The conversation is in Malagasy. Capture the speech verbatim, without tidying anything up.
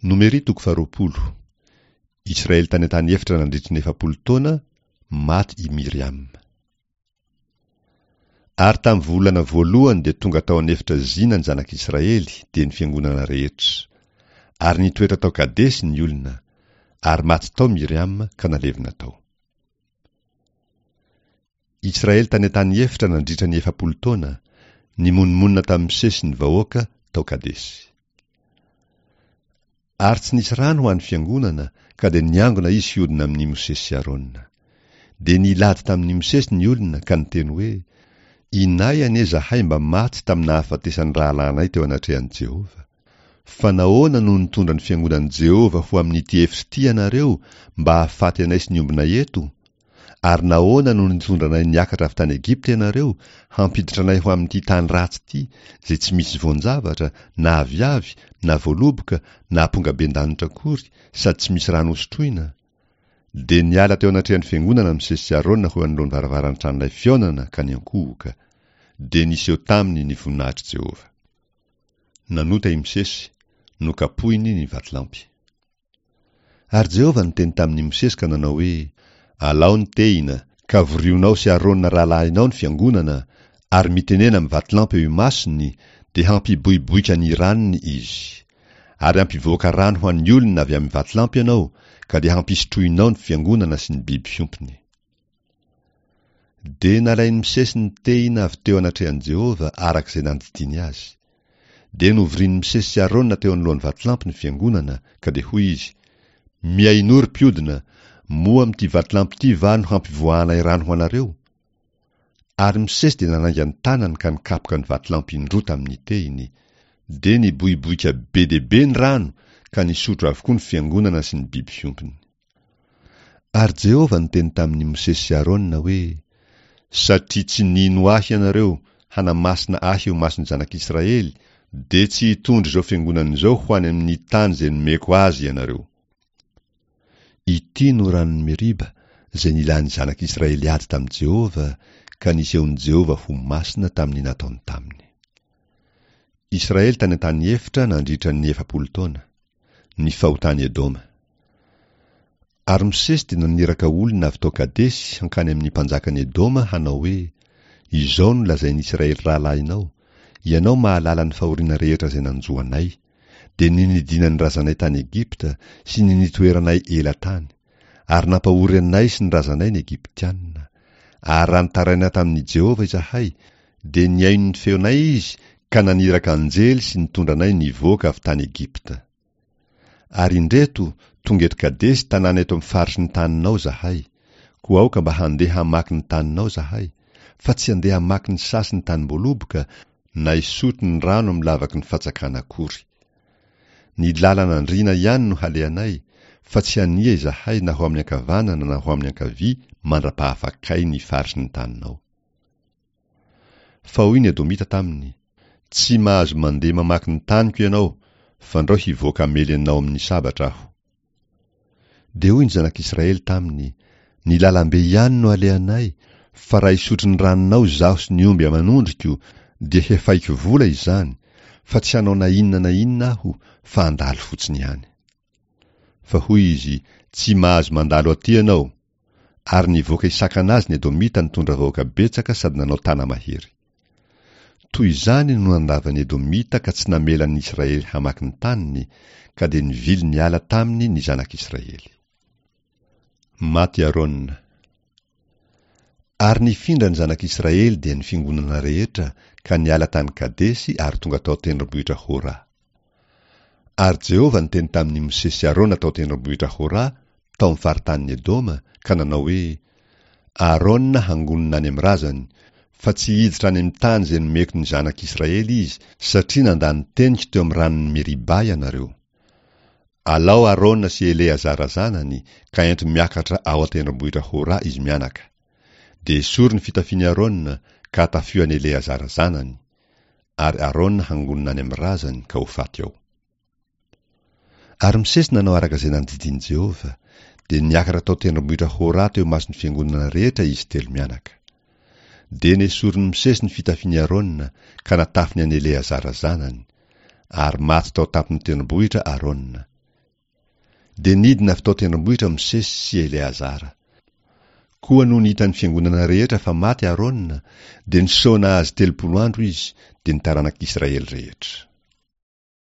Nomery toko faharoapolo. Israely tany an-tany efitra nandritry ny efapolo taona, maty i Miriam. Ary tamin'ny volana voalohany dia tonga tao an'efitra Zina ny zanak'Israely, dia ny fiangonana rehetra. Ary nitoetra tao Kadesy ny olona. Ary maty tao Miriam ka nalevina tao. Israely tany an-tany efitra nandritra ny efapolo taona, nimonomonona tamin'i Mosesy ny vahoaka tao Kadesy. Ary tsy nisy rano ho an'ny fiangonana, ka dia niangona izy hiodina amin'i Mosesy sy Arona. Dia nilady tamin'i Mosesy ny olona ka niteny hoe, Inay anie izahay mba maty tamin'ny nahafatesan'ny rahalahinay teo anatrehan'i Jehovah. Fa nahoana no nitondra ny fiangonan'i Jehovah ho amin'ity efitra ity ianareo mba hahafaty anay sy ny ombinay eto? Ary nahoana no nitondra anay niakatra avy tany Egypta ianareo, hampiditra anay ho amin'ity tany ratsy ity, izay tsy misy voan-javatra, na aviavy, na voaloboka, na ampongaben-danitra akory, sady tsy misy rano hosotroina? Dia niala teo anatrehan'ny fiangonana Mosesy sy Arona ho eo anoloan'ny varavaran'ny tranolay fihaonana ka niankohoka. Dia niseho taminy ny voninahitr'i Jehovah. Nanota i Mosesy, nokapohiny ny vatolampy. Ary Jehovah niteny tamin'i Mosesy ka nanao hoe, Alao ny tehina, ka vorionao sy Arona rahalahinao ny fiangonana, ary mitenena amin'ny vatolampy eo imasony, dia hampiboiboika ny ranony izy. Ary hampivoaka rano ho an'ny olona avy amin'ny vatolampy ianao, ka dia hampisotroinao ny fiangonana sy ny biby fiompiny. Dia nalain'i Mosesy ny tehina avy teo anatrehan'i Jehovah araka izay nandidiany azy. Dia novorian'i Mosesy sy Arona teo anoloan'ny vatolampy ny fiangonana, ka dia hoy izy, Mihainoa ry mpiodina, moa amin'ity vatolampy ity va no hampivoahanay rano ho anareo? Ary Mosesy dia nanainga ny tanany ka nikapoka ny vatolampy indroa tamin'ny tehiny. Dia niboiboika be dia be ny rano, ka nisotro avokoa ny fiangonana sy ny biby fiompiny. Ary Jehovah niteny tamin'i Mosesy sy Arona hoe, Satria tsy nino Ahy ianareo hanamasina Ahy eo imason'ny zanak'Israely, dia tsy hitondra izao fiangonana izao ho any amin'ny tany izay nomeko azy ianareo. Ity no ranon'i Meriba, izay nilan'ny zanak'Israely ady tamin'i Jehovah, ka nisehon'i Jehovah ho masina tamin'ny nataony taminy. Israely tany an-tany efitra nandritra ny efapolo taona. Ny fahotan'i Edoma. Ary Mosesy dia naniraka olona avy tao Kadesy hankany amin'ny mpanjakan'i Edoma hanao hoe, Izao no lazain'i Israely rahalahinao, Ianao mahalala ny fahoriana rehetra izay nanjo anay, dia ny nidinan'ny razanay tany Egypta sy ny nitoeranay ela tany, ary nampahory anay sy ny razanay ny Egyptiana. Ary raha nitaraina tamin'i Jehovah izahay, dia nihaino ny feonay Izy ka naniraka anjely sy nitondra anay nivoaka avy tany Egypta. Ary indreto, tonga eto Kadesy tanàna eto amin'ny faritry ny taninao izahay, koa aoka mba handeha hamaky ny taninao izahay, fa tsy handeha hamaky ny saha sy ny tanim-boaloboka, na hisotro ny rano amin'ny lavaky ny fatsakana akory. Ny lalana andriana ihany no halehanay, fa tsy hania izahay na ho amin'ny ankavanana na ho amin'ny ankavia mandra-pahafakay ny faritry ny taninao. Fa hoy ny Edomita taminy, Tsy mahazo mandeha mamaky ny taniko ianao, fandrao hivoaka hamely anao amin'ny sabatra aho. Dia hoy ny zanak'Israely taminy, Ny lalambe ihany no alehanay, fa raha hisotro ny ranonao izaho sy ny omby aman'ondriko, dia hefaiko vola izany, fa tsy hanao na inona na inona aho, fa handalo fotsiny ihany. Fa hoy izy, Tsy mahazo mandalo aty ianao. Ary nivoaka hisakana azy ny Edomita nitondra vahoaka betsaka sady nanao tana-mahery. Toy izany no nandavan'ny Edomita ka tsy namela ny Israely hamaky ny taniny, ka dia nivily niala taminy ny zanak'Israely. Maty Arona. Ary nifindra ny zanak'Israely dia ny fiangonana rehetra ka niala tany Kadesy ary tonga tao an-tendrombohitra Hora. Ary Jehovah niteny tamin'i Mosesy sy Arona tao an-tendrombohitra Hora, tao amin'ny faritanin'i Edoma, ka nanao hoe, Arona hangonina any amin'ny razany, fa tsy hiditra any amin'ny tany izay nomeko ny zanak'Israely izy, satria nandà ny teniko teo amin'ny ranon'i Meriba ianareo. Alao Arona sy Eleazara zanany, ka ento miakatra ao an-tendrombohitra Hora izy mianaka. Dia esory ny fitafian'i Arona, ka atafio an'i Eleazara zanany. Ary Arona hangonina any amin'ny razany ka ho faty ao. Ary Mosesy nanao araka izay nandidian'i Jehovah, dia niakatra tao tendrombohitra Hora teo imason'ny fiangonana rehetra izy telo mianaka. Dia nesorin'i Mosesy ny fitafian'i Arona, ka natafiny an'i Eleazara zanany. Ary maty tao an-tampon'ny tendrombohitra Arona. Dia nidina avy tao an-tendrombohitra Mosesy sy Eleazara. Koa nony hitan'ny fiangonana rehetra fa maty Arona, dia nisaona azy telopolo andro izy, dia ny taranak'Israely rehetra.